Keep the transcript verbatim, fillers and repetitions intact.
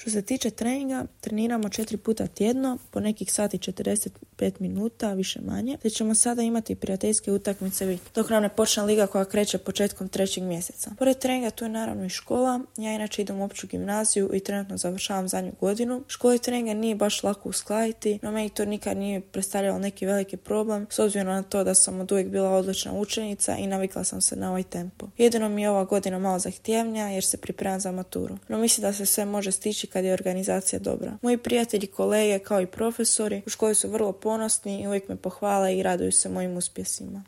Što se tiče treninga, treniramo četiri puta tjedno, po nekih sati četrdeset pet minuta, više manje, te ćemo sada imati prijateljske utakmice vikend, dok nam ne počne liga koja kreće početkom trećeg mjeseca. Pored treninga tu je naravno i škola. Ja inače idem u opću gimnaziju i trenutno završavam zadnju godinu. Škola i treninga nije baš lako uskladiti, no meni to nikad nije predstavljalo neki veliki problem, s obzirom na to da sam od uvijek bila odlična učenica i navikla sam se na ovaj tempo. Jedino mi je ova godina malo zahtjevnija jer se pripremam za maturu, no mislim da se sve može stići kad je organizacija dobra. Moji prijatelji, kolege kao i profesori u školi su vrlo ponosni i uvijek me pohvale i raduju se mojim uspjesima.